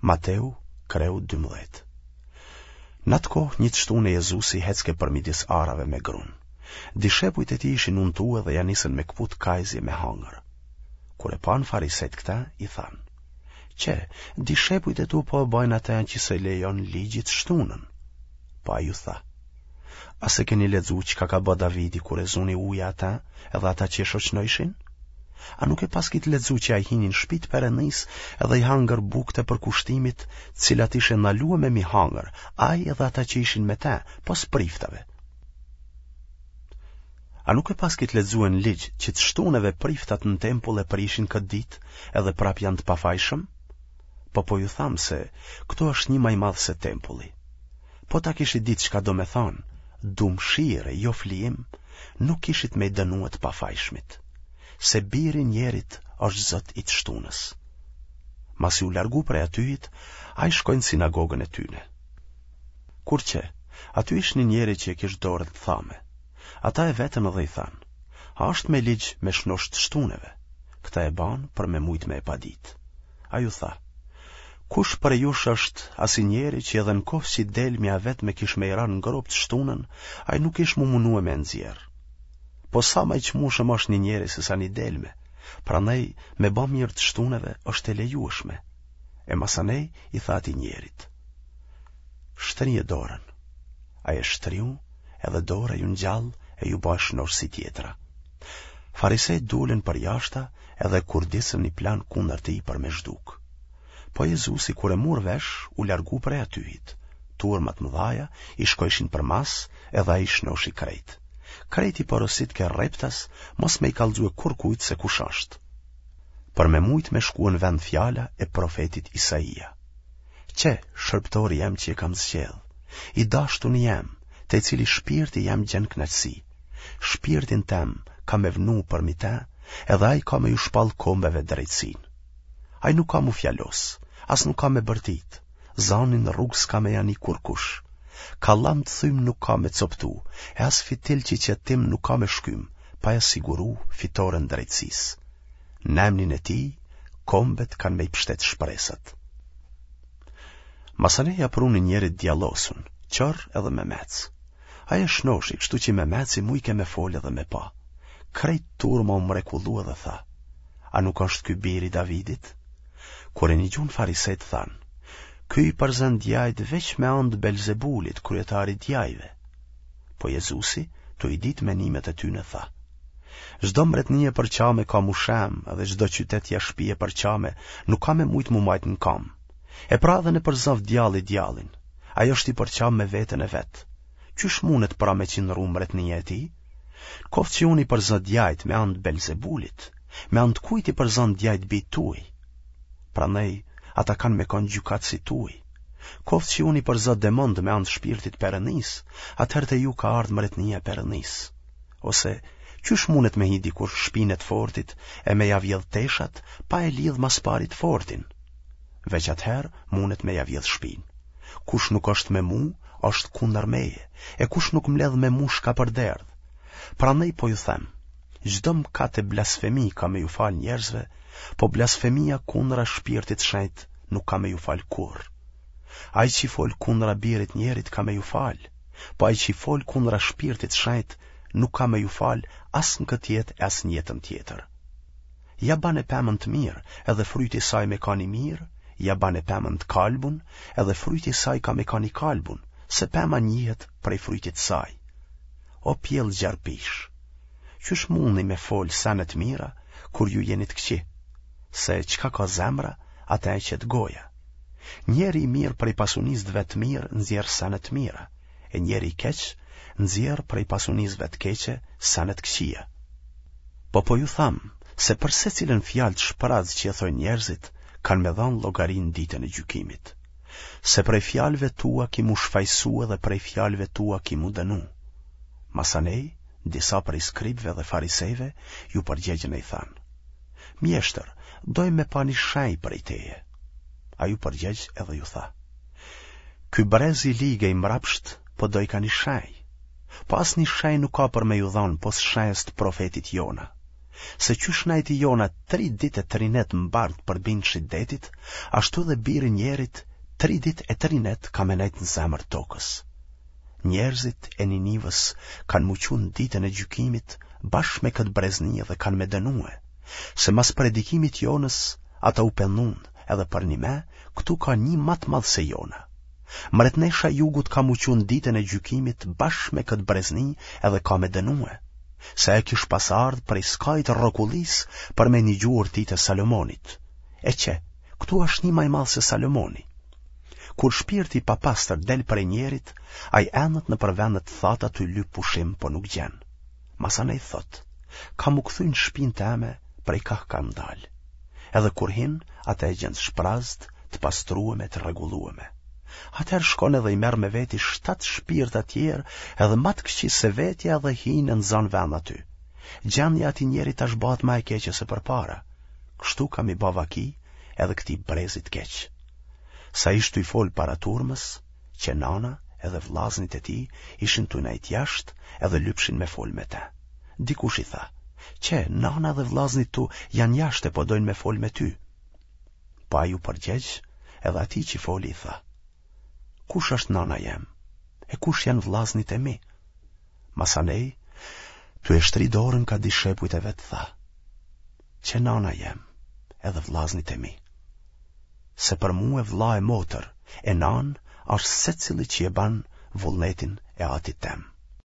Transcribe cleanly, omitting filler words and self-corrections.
Mateu, kreu 12. Në atë kohë një të shtune Jezusi hecke përmidis arave me grun. Dishepujt e tij ishin untue dhe ja nisën me këput kajzje me hangër. Kur e panë farisejt këta, i thanë, Qe, dishepujt e tu po e bajnë atë që s'e lejon ligji të shtunën. Po ai ju tha, a s'e keni lexu çka ka bë Davidi kur e zuni uja ata edhe ata që e shoqnojshin? A nuk e paskit lexu që ai hini në shpi të Perëndisë edhe i hangër bukët e përkushtimit, të cilat ishin ndalueme m'i hangër, ai edhe ata që ishin me te, pos priftave? A nuk e paskit lexue në ligj që të shtuneve priftat në tempull e prishin këtë ditë edhe prapë janë të pafajshëm? Po po ju tham se këtu është një ma i madh se tempulli. Po ta kishit ditë çka do me thanë, du mshirë e jo flijim, nuk kishit me i dënue të pafajshmit. Se biri i njerit është zot i të shtunës. Masi u largu prej atyhit, ai shkoi në sinagogën e tyne. Kur qe, aty ish një njeri që e kish dorën të thame. Ata e vetën edhe i thanë, a është me ligj me shnosh të shtuneve? Këta e banë për me mujtë me e paditë. Ai u tha, Kush prej jush është asi njeri që edhe në koftë që delmja e vetme kish me i ra në gropë të shtunën, ai nuk kish m'u munue me e nxjerrë. Po sa ma i çmueshëm është një njeri se sa një delme, prandaj me ba mirë të shtuneve është e lejueshme. E masanej i tha atij njerit, Shtrije dorën. Ai e shtriu, edhe dora iu ngjall e iu ba e shnoshë si tjetra. Farisejt dulën përjashta edhe kurdisën një plan kundër tij për me zhduk. Po Jezusi kur e mur vesh, u largu prej atyhit. Turma të mëdhaja i shkojshin përmas edhe ai i shnoshi krejt. Krejt i porositke rreptas, mos me i kallxue kurkujt se kush është. Për me mujt me shkue në vend fjala e profetit Isaia. Qe, shërbëtori jem që e kam zgjedh, i dashtuni jem, te i cili shpirti jem gjen kënaqësi. Shpirtin tem kam me vnu përmi te, edhe ai ka me ju shpall kombeve drejtësinë. Ai nuk ka m'u fjalos, as nuk ka me bërtit, zanin në rrugë s'ka me ja ni kurkush. Kallam të thym nuk ka me coptu, e as fitil që qet tym nuk ka me shkym, pa ja siguru fitoren drejtësisë. Në emnin e tij, kombet kanë me i pshtet shpresat. Masanej ja prunë një njeri të djallosun, qorr edhe memec. Ai e shnoshi, kështu që memeci mujke me folë edhe me pa. Krejt turma u mrekullu edhe tha, a nuk është ky biri i Davidit? Kur e nigjun farisejt thanë, ky i përzën djajt veç me anë të Belzebulit, kryetarit djajve. Po Jezusi, tu i ditë menimet e tyne, tha, Çdo mbretni e përçame ka m'u shemë dhe çdo qytet ja shpi e përçame nuk ka me mujtë m'u majtë në kamë. E pra edhe në përzoftë djalli djallin, ai është i përçamë me veten e vet. Qysh mundet pra me qëndru mbretnia e tij? Koftë që unë i përzë djajt me anë të Belzebulit, me anë të kujt i përzën djajt bijtë tuaj? Prandaj, ata kanë me konë gjykatësit tuaj. Koftë që unë i përzë demondë me anë të shpirtit Perëndisë, atëherë te ju ka ardhë mbretnia e Perëndisë. Ose, qysh mundet me hi dikush n'shpinë e të fortit e me ja vjedh teshat pa e lidh ma s'pari të fortin? Veç atëherë mundet me ja vjedh shpinë. Kush nuk është me mu, është kundër meje, e kush nuk mbledh me mu shkapërderdh. Prandaj po ju them, çdo mëkat e blasfemi ka me ju fal njerëzve, po blasfemia kundra shpirtit shenjt nuk ka me ju fal kurrë. Ai që fol kundra birit njerit ka me ju fal, po ai që fol kundra shpirtit shenjt nuk ka me ju fal as në këtë jetë e as në jetën tjetër. Ja bane pemën të mirë, edhe fryti i saj me kanë i mirë, ja bane pemën të kalbun, edhe fryti i saj ka me kanë i kalbun, se pema njihet prej frytit të saj. O pjellë gjarpish, qysh mundni me fol sene të mira, kur ju jeni të këqij, se çka ka zemra, atë e qet goja. Njeri i mirë prej pasunisë të vet të mirë nxjerr sene të mira, e njeri i keq nxjerr prej pasunisë vet të keqe sene të këqija. Po po ju tham se për secilën fjalë të shpraz që e thojnë njerëzit, kanë me dhanë llogari në ditën e gjykimit. Se prej fjalëve tua ki m'u shfajsu edhe prej fjalëve tua ki m'u dënu. Masanej, disa prej skribëve dhe farisejve iu përgjegjën e i thanë: Mjeshtër, dojmë me pa një shenjë prej teje. Ai u përgjegj edhe ju tha. Ky brez i lig e i mbrapsht, po dojka një shenjë. Po asnjë shenjë nuk ka për me ju dhanë pos shenjës të profetit Jona. Se qysh najti Jona tri ditë e tri net n'bark përbindshit detit, ashtu edhe biri njerit tri ditë e tri net ka me nejt në zemër tokës. Njerëzit e Ninivës kanë m'u çu në ditën e gjykimit bashkë me këtë brezni dhe kanë me dënue, se mas predikimit Jonës ata u pendun edhe përnime këtu ka një ma të madh se Jona. Mretnesha e jugut ka m'u çu në ditën e gjykimit bashkë me këtë brezni edhe ka me dënue, se ajo kish pas ardhë prej skajit rrokullisë për me nigju urtitë e Salomonit. E qe, këtu ashtë një ma i madh se Salomoni. Kur shpirti i papastër del prej njerit, ai endet nëpër vende të thata tu lyp pushim, po nuk gjen. Masanej thotë, kam m'u kthy në shpinë teme prej kah kam dalë. Edhe kur hin, atë e gjen të shprazët, të pastrueme, të rregullueme. Atëherë shkon edhe i merr me veti shtatë shpirta tjerë edhe ma të këqij se vetja edhe hinë e nxanë vend aty. Gjendja e atij njeri tash bëhet ma e keqe se përpara. Kështu ka m'i ba vaki edhe këtij brezi të keq. Sa ish tuj fol para turmës, qe nana edhe vllaznit e tij ishin tuj nejt jashtë edhe lypshin me fol me të. Dikush i tha, qe, nana dhe vllaznit tu janë jashtë e po dojnë me fol me ty. Po ai u përgjegj edhe atij që foli i tha, kush është nana jem, e kush janë vllaznit e mi? Masanej, tu e shtri dorën ka dishepujt e vet tha, qe nana jem, edhe vllaznit e mi. Se për mue vlla e motër, e nanë, është secili që e ban vullnetin e atit tem.